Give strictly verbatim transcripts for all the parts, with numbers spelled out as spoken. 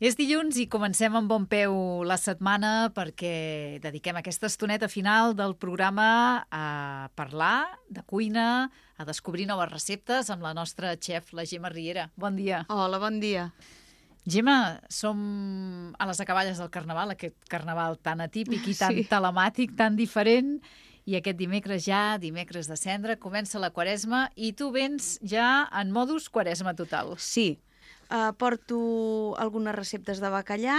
És dilluns i comencem amb bon peu la setmana perquè dediquem aquesta estoneta final del programa a parlar de cuina, a descobrir noves receptes amb la nostra xef, la Gemma Riera. Bon dia. Hola, bon dia. Gemma, som a les acaballes del Carnaval, aquest Carnaval tan atípic i tan Sí. telemàtic, tan diferent, i aquest dimecres ja, dimecres de Cendra, comença la Quaresma i tu vens ja en modus Quaresma total. Sí, uh, porto algunes receptes de bacallà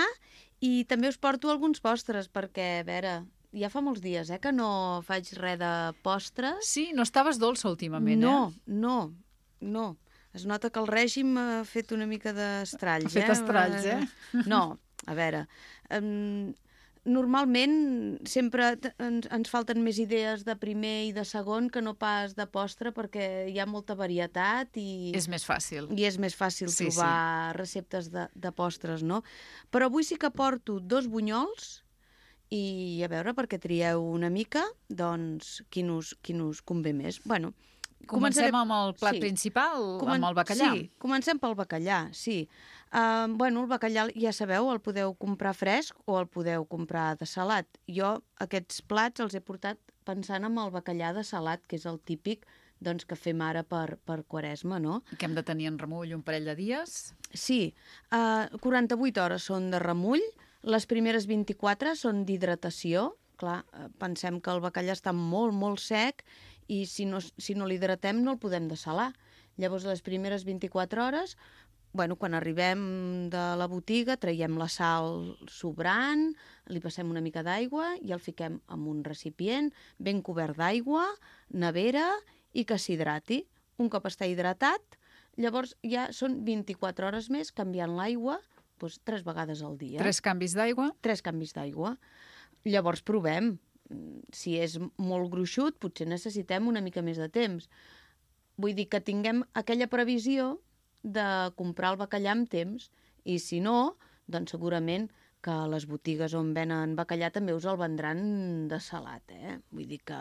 i també us porto alguns postres perquè, a veure, ja fa molts dies eh, que no faig res de postres. Sí, no estaves dolça últimament, no, eh? No, no, Es nota que el règim ha fet una mica d'estralls. Ha fet eh? estralls, eh? No, a veure... Um, Normalment sempre t- ens, ens falten més idees de primer i de segon que no pas de postre perquè hi ha molta varietat i... És més fàcil. I és més fàcil Sí, trobar sí. receptes de, de postres, no? Però avui sí que porto dos bunyols i a veure, perquè trieu una mica, doncs, quin us, quin us convé més. Bueno, Comencem començaré- amb el plat sí. principal, Comen- amb el bacallà. Sí, comencem pel bacallà, sí. Uh, bueno, el bacallà, ja sabeu, el podeu comprar fresc o el podeu comprar de salat. Jo aquests plats els he portat pensant en el bacallà de salat, que és el típic doncs, que fem ara per, per Quaresma, no? Que hem de tenir en remull un parell de dies. Sí, uh, quaranta-vuit hores són de remull, les primeres vint-i-quatre són d'hidratació. Clar, eh, pensem que el bacallà està molt, molt sec i si no, si no l'hidratem no el podem dessalar. Llavors, les primeres vint-i-quatre hores, bueno, quan arribem de la botiga, traiem la sal sobrant, li passem una mica d'aigua i el fiquem en un recipient ben cobert d'aigua, nevera i que s'hidrati. Un cop està hidratat, llavors ja són vint-i-quatre hores més canviant l'aigua doncs, tres vegades al dia. Tres canvis d'aigua. Tres canvis d'aigua. Llavors provem. Si és molt gruixut, potser necessitem una mica més de temps. Vull dir que tinguem aquella previsió de comprar el bacallà amb temps i si no, doncs segurament que a les botigues on venen bacallà també us el vendran de salat, eh? Vull dir que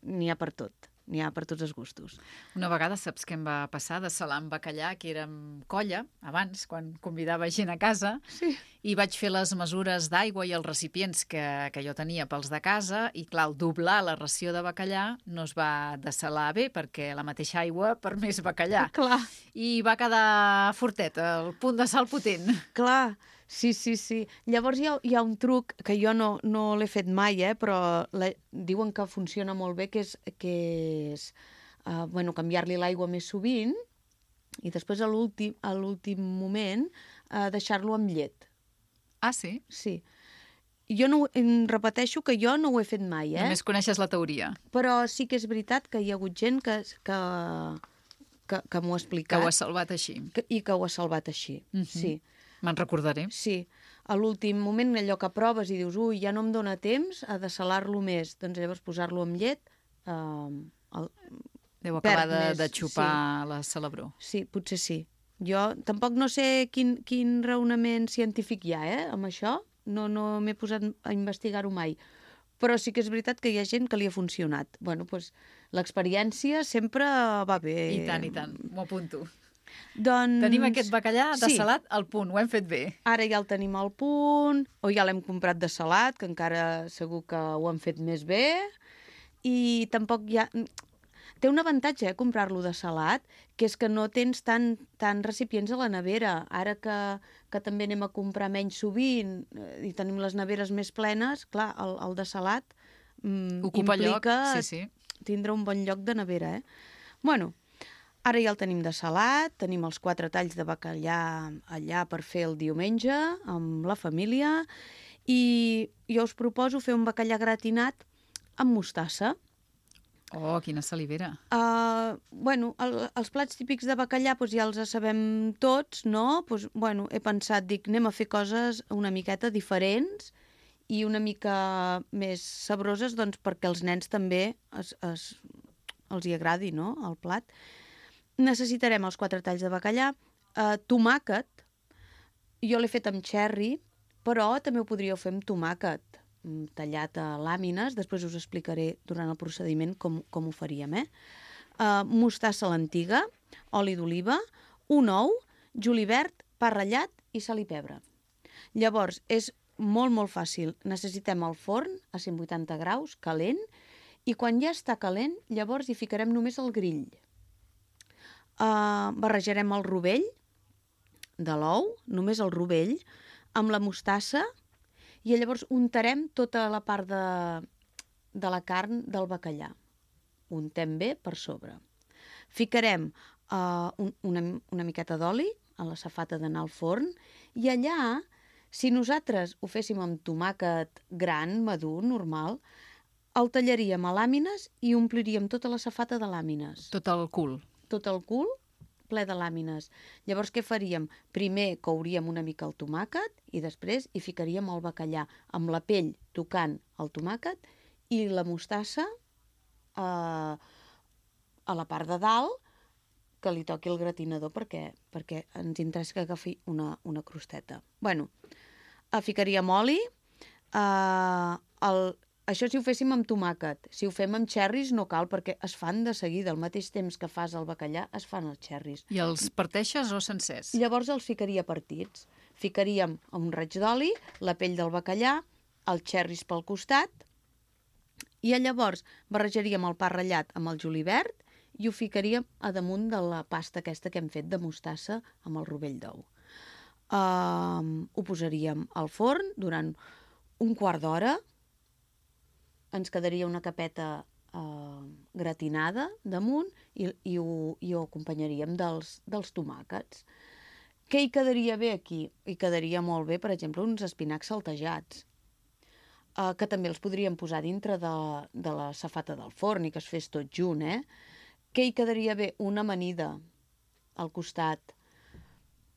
n'hi ha per tot. N'hi ha per tots els gustos. Una vegada saps què em va passar de salar amb bacallà, que érem colla, abans, quan convidava gent a casa, Sí. i vaig fer les mesures d'aigua i els recipients que, que jo tenia pels de casa, i clar, al doblar la ració de bacallà no es va dessalar bé, perquè la mateixa aigua per més bacallà. Clar. I va quedar fortet, el punt de sal potent. Clar, sí, sí, sí. Llavors hi ha, hi ha un truc que jo no, no l'he fet mai, eh, però la, diuen que funciona molt bé, que és, que és uh, bueno, canviar-li l'aigua més sovint i després a l'últim a l'últim moment uh, deixar-lo amb llet. Ah, sí? Sí. Jo no, ho- em repeteixo que jo no ho he fet mai, eh? Només coneixes la teoria, Però sí que és veritat que hi ha hagut gent que, que, que, que m'ho ha que explicat ho has salvat així. que, i que ho ha salvat així, Mhm. sí. Me'n recordaré. Sí, a l'últim moment allò que proves i dius ui, ja no em dóna temps a dessalar-lo més, doncs llavors posar-lo amb llet eh, el... Deu Perd acabar de, més, de xupar la celebró. sí, potser sí. Jo tampoc no sé quin, quin raonament científic hi ha, eh, amb això, no, no m'he posat a investigar-ho mai, però sí que és veritat que hi ha gent que li ha funcionat. Bueno, doncs l'experiència sempre va bé. I tant, i tant, m'ho apunto. Doncs... Tenim aquest bacallà de sí. salat al punt, ho hem fet bé. Ara ja el tenim al punt, o ja l'hem comprat de salat, que encara segur que ho han fet més bé, i tampoc hi ha... Té un avantatge, eh, comprar-lo de salat, que és que no tens tant, tant recipients a la nevera. Ara que, que també anem a comprar menys sovint eh, i tenim les neveres més plenes, clar, el, el de salat mm, Ocupa lloc, implica sí, sí. tindre un bon lloc de nevera, eh? Bueno, ara ja el tenim de salat, tenim els quatre talls de bacallà allà per fer el diumenge amb la família i jo us proposo fer un bacallà gratinat amb mostassa. Oh, quina salivera. Uh, bueno, el, els plats típics de bacallà doncs ja els sabem tots, no? Pues, bueno, he pensat, dic, anem a fer coses una miqueta diferents i una mica més sabroses doncs, perquè els nens també es, es, els hi agradi, no?, el plat. Necessitarem els quatre talls de bacallà, uh, tomàquet, jo l'he fet amb cherry, però també ho podríeu fer amb tomàquet tallat a làmines, després us explicaré durant el procediment com, com ho faríem, eh? Uh, mostassa a l'antiga, oli d'oliva, un ou, julivert pa ratllat i sal i pebre. Llavors, és molt, molt fàcil. Necessitem el forn a cent vuitanta graus, calent, i quan ja està calent, llavors hi ficarem només el grill. Uh, barrejarem el rovell de l'ou, només el rovell, amb la mostassa, i llavors untarem tota la part de, de la carn del bacallà. Untem bé per sobre. Ficarem uh, un, una, una miqueta d'oli a la safata d'anar al forn, i allà, si nosaltres ho féssim amb tomàquet gran, madur, normal, el tallaríem a làmines i ompliríem tota la safata de làmines. Tot el cul. Tot el cul ple de làmines. Llavors, què faríem? Primer couríem una mica el tomàquet i després hi ficaríem el bacallà amb la pell tocant el tomàquet i la mostassa eh, a la part de dalt, que li toqui el gratinador perquè, perquè ens interessa que agafi una, una crosteta. Bueno, eh, ficaríem oli, eh, el, això si ho féssim amb tomàquet. Si ho fem amb xerris no cal, perquè es fan de seguida. Al mateix temps que fas el bacallà, es fan els xerris. I els parteixes o sencers? Llavors els ficaria partits. Ficaríem un raig d'oli, la pell del bacallà, els xerris pel costat, i llavors barrejaríem el pa ratllat amb el julivert i ho ficaríem a damunt de la pasta aquesta que hem fet de mostassa amb el rovell d'ou. Uh, ho posaríem al forn durant un quart d'hora. Ens quedaria una capeta eh, gratinada damunt i, i, ho, i ho acompanyaríem dels, dels tomàquets. Què hi quedaria bé aquí? Hi quedaria molt bé, per exemple, uns espinacs saltejats, eh, que també els podríem posar dintre de, de la safata del forn i que es fes tot junt, eh? Què hi quedaria bé? Una amanida al costat.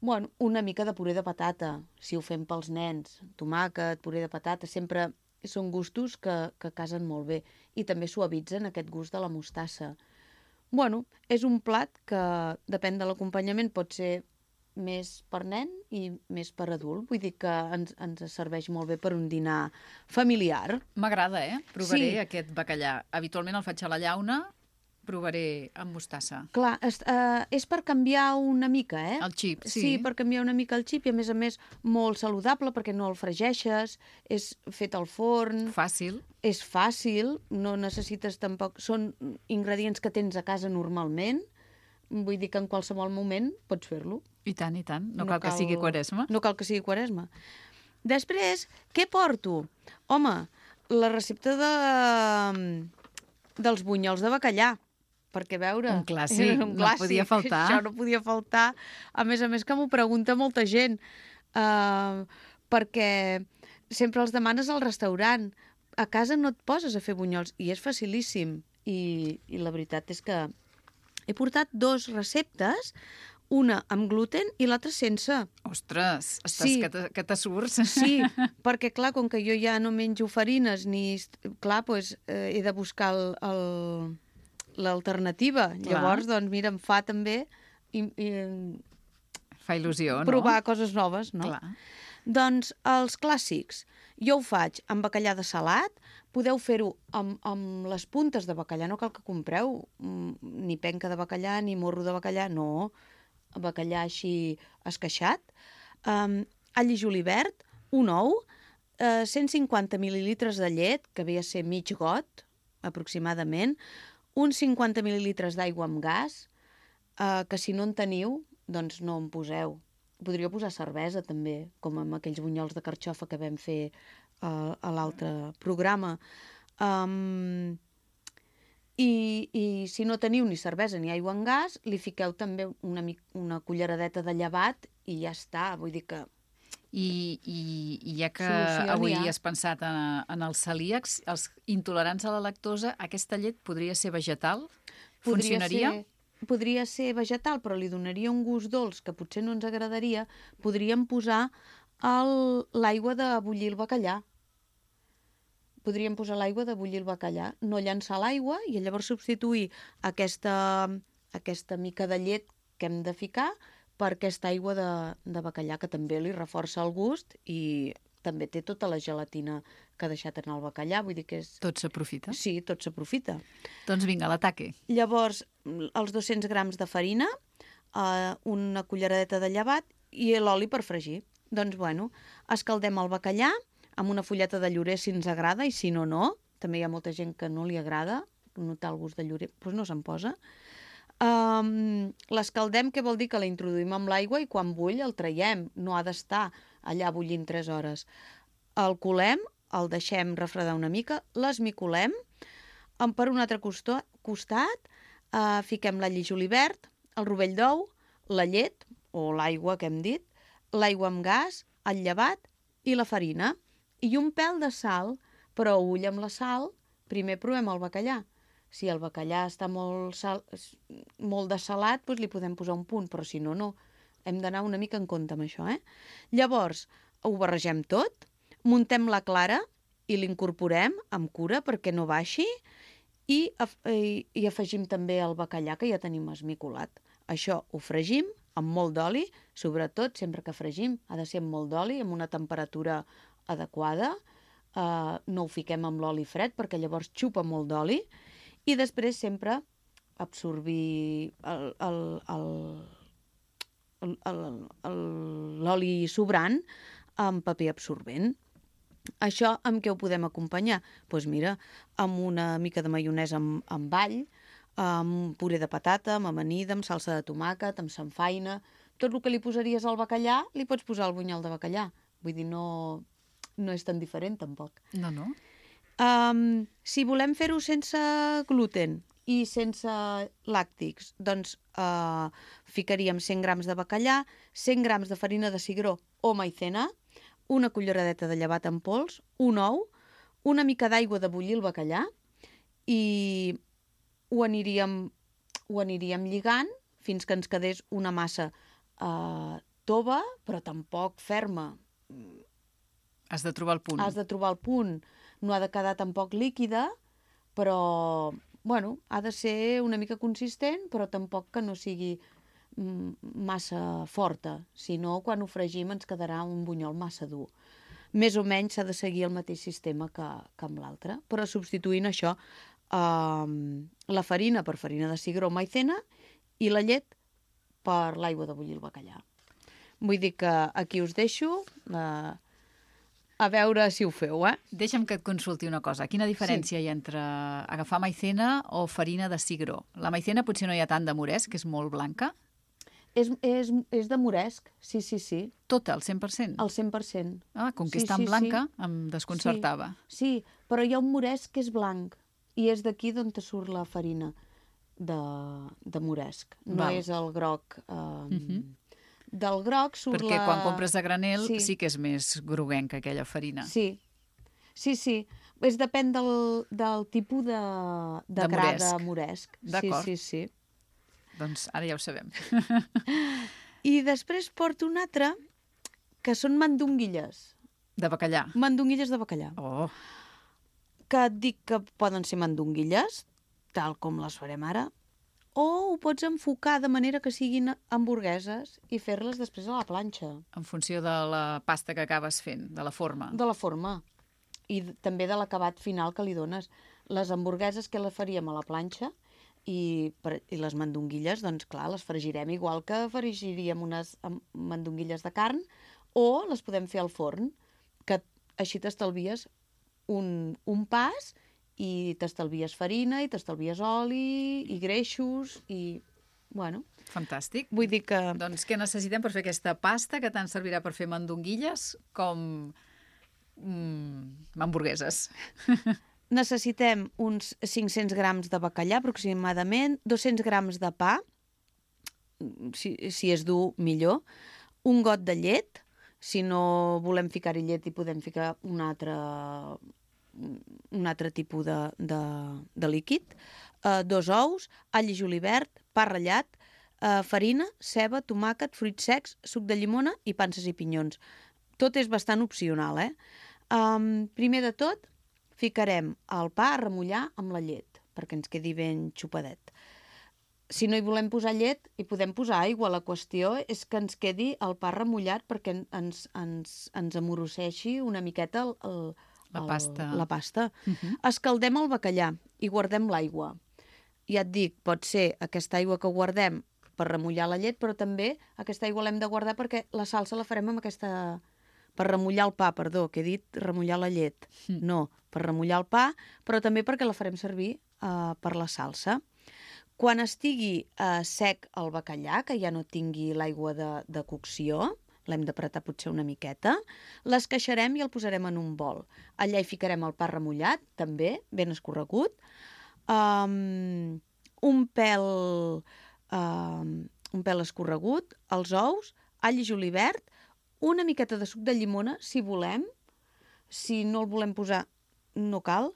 Bueno, una mica de puré de patata, si ho fem pels nens. Tomàquet, puré de patata, sempre són gustos que, que casen molt bé i també suavitzen aquest gust de la mostassa. Bueno, és un plat que, depèn de l'acompanyament, pot ser més per nen i més per adult. Vull dir que ens, ens serveix molt bé per un dinar familiar. M'agrada, eh? Provaré Sí. aquest bacallà. Habitualment el faig a la llauna, provaré amb mostassa. Clar, és, eh, és per canviar una mica, eh? El xip, sí. Sí, per canviar una mica el xip i, a més a més, molt saludable perquè no el fregeixes, és fet al forn, Fàcil. és fàcil, no necessites tampoc... Són ingredients que tens a casa normalment, vull dir que en qualsevol moment pots fer-lo. I tant, i tant. No, no cal, cal que sigui quaresma. No cal que sigui quaresma. Després, què porto? Home, la recepta de, dels bunyols de bacallà. Perquè, a veure... Un clàssic, un no podia faltar. Això no podia faltar. A més a més que m'ho pregunta molta gent. Uh, perquè sempre els demanes al restaurant. A casa no et poses a fer bunyols. I és facilíssim. I, i la veritat és que he portat dos receptes, una amb gluten i l'altra sense. Ostres, estàs Sí. que te, que te surts. Sí, perquè clar, com que jo ja no menjo farines ni... Clar, doncs, eh, he de buscar el... el l'alternativa. Llavors, doncs, mira, em fa també i, i Fa il·lusió, no? provar coses noves, no? Clar. Doncs els clàssics. Jo ho faig amb bacallà de salat, podeu fer-ho amb, amb les puntes de bacallà, no cal que compreu mm, ni penca de bacallà ni morro de bacallà, no, bacallà així esqueixat, um, all i julivert, un ou, eh, cent cinquanta mil·lilitres de llet, que ve a ser mig got, aproximadament, uns cinquanta mil·lilitres d'aigua amb gas, eh, que si no en teniu, doncs no en poseu. Podríeu posar cervesa, també, com amb aquells bunyols de carxofa que vam fer eh, a l'altre programa. Um, i, I si no teniu ni cervesa ni aigua amb gas, li fiqueu també una, una culleradeta de llevat i ja està. Vull dir que... I, i, i ja que Solució avui n'hi ha. has pensat en, en els celíacs, els intolerants a la lactosa, aquesta llet podria ser vegetal? Funcionaria? Ser, podria ser vegetal, però li donaria un gust dolç que potser no ens agradaria. Podríem posar el- l'aigua de bullir el bacallà. Podríem posar l'aigua de bullir el bacallà, no llançar l'aigua i llavors substituir aquesta, aquesta mica de llet que hem de ficar per aquesta aigua de, de bacallà, que també li reforça el gust i també té tota la gelatina que ha deixat en el bacallà. Vull dir que és... Tot s'aprofita? Sí, tot s'aprofita. Doncs vinga, l'ataque. Llavors, els dos-cents grams de farina, eh, una culleradeta de llevat i l'oli per fregir. Doncs, bueno, escaldem el bacallà amb una fulleta de llorer si ens agrada, i si no, no. També hi ha molta gent que no li agrada notar el gust de llorer, doncs no se'n posa. Um, l'escaldem, què vol dir? Que la introduïm amb l'aigua i quan bull el traiem. No ha d'estar allà bullint tres hores. El colem, el deixem refredar una mica, l'esmicolem. Per un altre costat, costat uh, fiquem l'all i julivert, el rovell d'ou, la llet, o l'aigua que hem dit, l'aigua amb gas, el llevat i la farina. I un pèl de sal, però ull amb la sal, primer provem el bacallà. Si el bacallà està molt, sal, molt dessalat, doncs li podem posar un punt, però si no, no. Hem d'anar una mica en compte amb això, eh? Llavors, ho barregem tot, muntem la clara i l'incorporem amb cura perquè no baixi i, i, i afegim també el bacallà que ja tenim esmicolat. Això ho fregim amb molt d'oli, sobretot sempre que fregim ha de ser amb molt d'oli, amb una temperatura adequada. Uh, no ho fiquem amb l'oli fred perquè llavors xupa molt d'oli. I després sempre absorbir l'oli sobrant amb paper absorbent. Això amb què ho podem acompanyar? Doncs mira, amb una mica de maionesa amb, amb all, amb puré de patata, amb amanida, amb salsa de tomàquet, amb samfaina. Tot el que li posaries al bacallà, li pots posar al bunyol de bacallà. Vull dir, no, no és tan diferent, tampoc. No, no. Um, si volem fer-ho sense gluten i sense làctics, doncs uh, ficaríem cent grams de bacallà, cent grams de farina de cigró o maicena, una culleradeta de llevat en pols, un ou, una mica d'aigua de bullir el bacallà i ho aniríem, ho aniríem lligant fins que ens quedés una massa uh, tova, però tampoc ferma. Has de trobar el punt. Has de trobar el punt. No ha de quedar tampoc líquida, però, bueno, ha de ser una mica consistent, però tampoc que no sigui massa forta. Si no, quan ho fregim ens quedarà un bunyol massa dur. Més o menys s'ha de seguir el mateix sistema que, que amb l'altre, però substituint això, eh, la farina per farina de cigró o maicena i la llet per l'aigua de bullir el bacallà. Vull dir que aquí us deixo... Eh, a veure si ho feu, eh? Deixa'm que et consulti una cosa. Quina diferència sí. hi ha entre agafar maicena o farina de cigró? La maicena potser no hi ha tant de moresc, que és molt blanca. És, és, és de moresc, sí, sí, sí. Tota, al cent per cent? Al cent per cent. Ah, com que sí, és tan sí, blanca, sí. em desconcertava. Sí, sí, però hi ha un moresc que és blanc i és d'aquí d'on te surt la farina de, de moresc. No Val. És el groc... Eh, uh-huh. Del groc surt Perquè la... quan compres a granel sí. sí que és més groguenca aquella farina. Sí, sí, sí. És depèn del, del tipus de, de, de gra moresc. de moresc. D'acord. Sí, sí, sí. Doncs ara ja ho sabem. I després porto un altre, que són mandonguilles. De bacallà? Mandonguilles de bacallà. Oh. Que et dic que poden ser mandonguilles, tal com les farem ara, o ho pots enfocar de manera que siguin hamburgueses i fer-les després a la planxa. En funció de la pasta que acabes fent, de la forma. De la forma. I també de l'acabat final que li dones. Les hamburgueses que les faríem a la planxa i, per, i les mandonguilles, doncs clar, les fregirem igual que fregiríem unes mandonguilles de carn, o les podem fer al forn, que així t'estalvies un, un pas i t'estalvies farina, i t'estalvies oli, i greixos, i... bueno... Fantàstic. Vull dir que... Doncs què necessitem per fer aquesta pasta que tant servirà per fer mandonguilles com mm, hamburgueses? Necessitem uns cinc-cents grams de bacallà, aproximadament, dos-cents grams de pa, si, si és dur, millor, un got de llet, si no volem ficar-hi llet hi podem ficar un altre... un altre tipus de, de, de líquid, uh, dos ous, all i julivert, pa ratllat, uh, farina, ceba, tomàquet, fruits secs, suc de llimona i panses i pinyons. Tot és bastant opcional, eh? Um, primer de tot, ficarem el pa a remullar amb la llet, perquè ens quedi ben xupadet. Si no hi volem posar llet, hi podem posar aigua. La qüestió és que ens quedi el pa remullat perquè ens, ens, ens amoroseixi una miqueta el, el La pasta. El, la pasta. Uh-huh. Escaldem el bacallà i guardem l'aigua. Ja et dic, pot ser aquesta aigua que guardem per remullar la llet, però també aquesta aigua l'hem de guardar perquè la salsa la farem amb aquesta... per remullar el pa, perdó, que he dit remullar la llet. Mm. No, per remullar el pa, però també perquè la farem servir uh, per la salsa. Quan estigui uh, sec el bacallà, que ja no tingui l'aigua de, de cocció, l'hem d'apretar potser una miqueta, l'esqueixarem i el posarem en un bol. Allà hi ficarem el pa remullat, també, ben escorregut, um, un pèl, um, un pèl escorregut, els ous, all i julivert, una miqueta de suc de llimona, si volem. Si no el volem posar, no cal.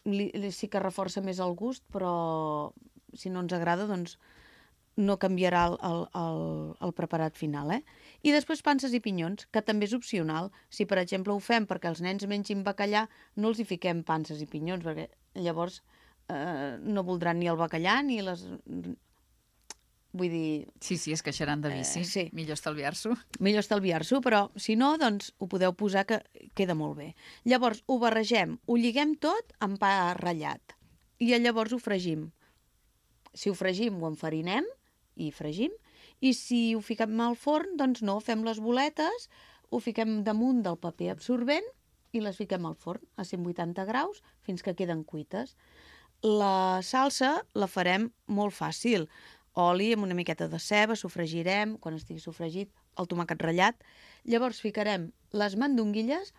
Li, li, sí que reforça més el gust, però si no ens agrada, doncs no canviarà el, el, el, el preparat final. Eh? I després panses i pinyons, que també és opcional. Si, per exemple, ho fem perquè els nens mengin bacallà, no els hi fiquem panses i pinyons, perquè llavors eh, no voldran ni el bacallà ni les... Vull dir... Sí, sí, es queixaran de vici. Eh, sí. Millor estalviar-s'ho. Millor estalviar-s'ho, però si no, doncs ho podeu posar que queda molt bé. Llavors ho barregem, ho lliguem tot amb pa ratllat i llavors ho fregim. Si ho fregim ho enfarinem i fregim, i si ho fiquem al forn, doncs no, fem les boletes, ho fiquem damunt del paper absorbent i les fiquem al forn a cent vuitanta graus fins que queden cuites. La salsa la farem molt fàcil. Oli amb una miqueta de ceba, sofregirem, quan estigui sofregit, el tomàquet ratllat. Llavors ficarem les mandonguilles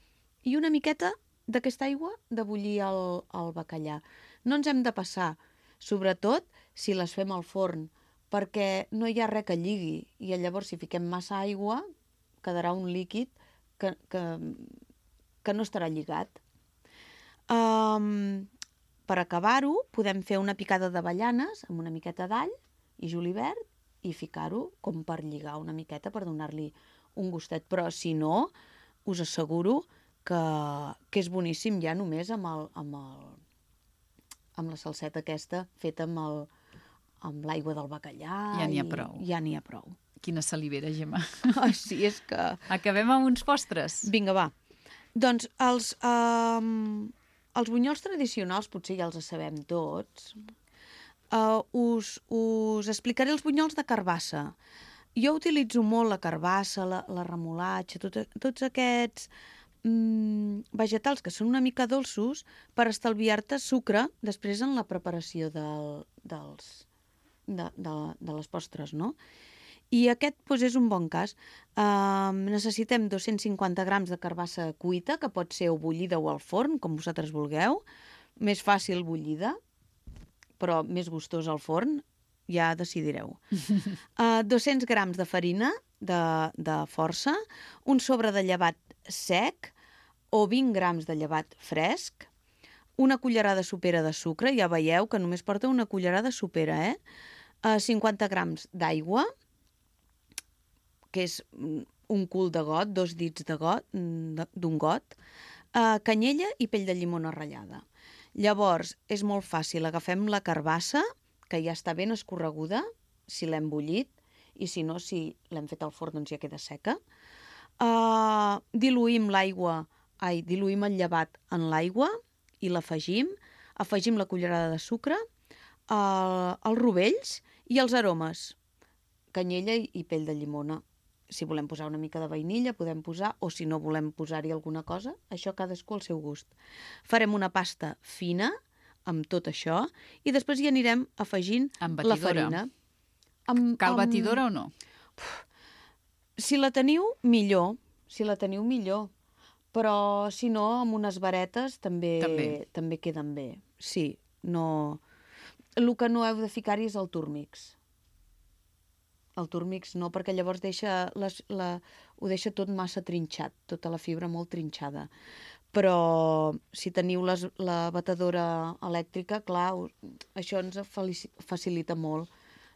i una miqueta d'aquesta aigua de bullir el, el bacallà. No ens hem de passar, sobretot si les fem al forn, perquè no hi ha res que lligui i llavors si fiquem massa aigua quedarà un líquid que, que, que no estarà lligat. Um, per acabar-ho, podem fer una picada d'avellanes amb una miqueta d'all i julivert i ficar-ho com per lligar una miqueta, per donar-li un gustet. Però si no, us asseguro que, que és boníssim ja només amb, el, amb, el, amb la salseta aquesta feta amb, el, amb l'aigua del bacallà. Ja n'hi ha prou. Ja n'hi ha prou. Quina salivera, Gemma. Oh, sí, és que... Acabem amb uns postres. Vinga, va. Doncs els, um, els bunyols tradicionals potser ja els sabem tots. Uh, us, us explicaré els bunyols de carbassa. Jo utilitzo molt la carbassa, la, la remolatxa, tot, tots aquests mm, vegetals que són una mica dolços per estalviar-te sucre després en la preparació del, dels, de, de, de les postres, no? I aquest doncs, és un bon cas. Uh, necessitem dos-cents cinquanta grams de carbassa cuita, que pot ser o bullida o al forn, com vosaltres vulgueu. Més fàcil bullida, però més gustós al forn, ja decidireu. Uh, dos-cents grams de farina de, de força, un sobre de llevat sec o vint grams de llevat fresc, una cullerada sopera de sucre, ja veieu que només porta una cullerada sopera, eh? Uh, cinquanta grams d'aigua, que és un cul de got, dos dits de got, d'un got, uh, canyella i pell de llimona ratllada. Llavors, és molt fàcil. Agafem la carbassa, que ja està ben escorreguda, si l'hem bullit, i si no, si l'hem fet al forn, doncs ja queda seca. Uh, diluïm l'aigua, ai, diluïm el llevat en l'aigua i l'afegim. Afegim la cullerada de sucre, uh, els rovells i els aromes, canyella i pell de llimona. Si volem posar una mica de vainilla, podem posar, o si no volem posar-hi alguna cosa, això cadascú al seu gust. Farem una pasta fina amb tot això i després hi anirem afegint la farina. Amb, Cal amb... batidora o no? Si la teniu, millor. Si la teniu, millor. Però, si no, amb unes varetes també, també. també queden bé. Sí, no... El que no heu de ficar-hi és el turmix. El turmix no, perquè llavors deixa les, la, ho deixa tot massa trinxat, tota la fibra molt trinxada. Però si teniu les, la batedora elèctrica, clar, això ens facilita molt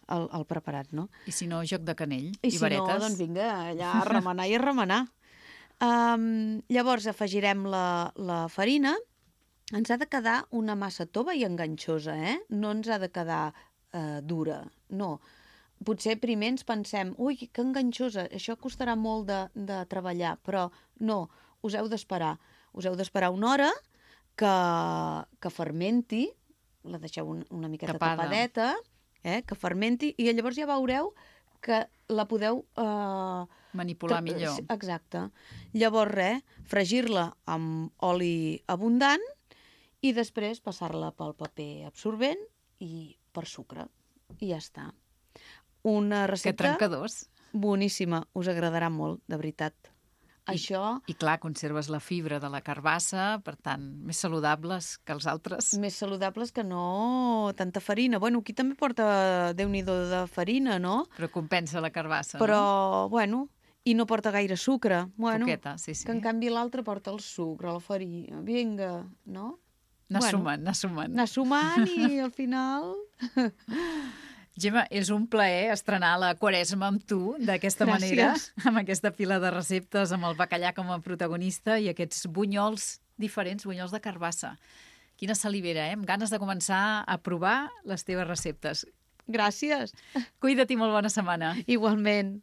el, el preparat, no? I si no, joc de canell i, I si varetes. no, doncs vinga, allà a remenar i a remenar. Um, llavors afegirem la, la farina. Ens ha de quedar una massa tova i enganxosa, eh? No ens ha de quedar uh, dura, no. Potser primer ens pensem, ui, que enganxosa, això costarà molt de, de treballar, però no, us heu d'esperar. Us heu d'esperar una hora que, que fermenti, la deixeu un, una miqueta Tapada. tapadeta, eh, que fermenti, i llavors ja veureu que la podeu... Eh, manipular millor. Exacte. Llavors, res, fregir-la amb oli abundant i després passar-la pel paper absorbent i per sucre. I ja està. Una recepta... Que trencadors. Boníssima. Us agradarà molt, de veritat. I, Això... I clar, conserves la fibra de la carbassa, per tant, més saludables que els altres. Més saludables que no tanta farina. Bueno, aquí també porta Déu-n'hi-do de farina, no? Però compensa la carbassa, Però, no? bueno, i no porta gaire sucre. Bueno, Poqueta, sí, sí. Que en canvi l'altre porta el sucre, la farina. Vinga, no? Anar Bueno, sumant, anar sumant. Anar sumant i al final... Gemma, és un plaer estrenar la Quaresma amb tu, d'aquesta manera, amb aquesta pila de receptes, amb el bacallà com a protagonista i aquests bunyols diferents, bunyols de carbassa. Quina salivera, eh? Amb ganes de començar a provar les teves receptes. Gràcies. Cuida't i molt bona setmana. Igualment.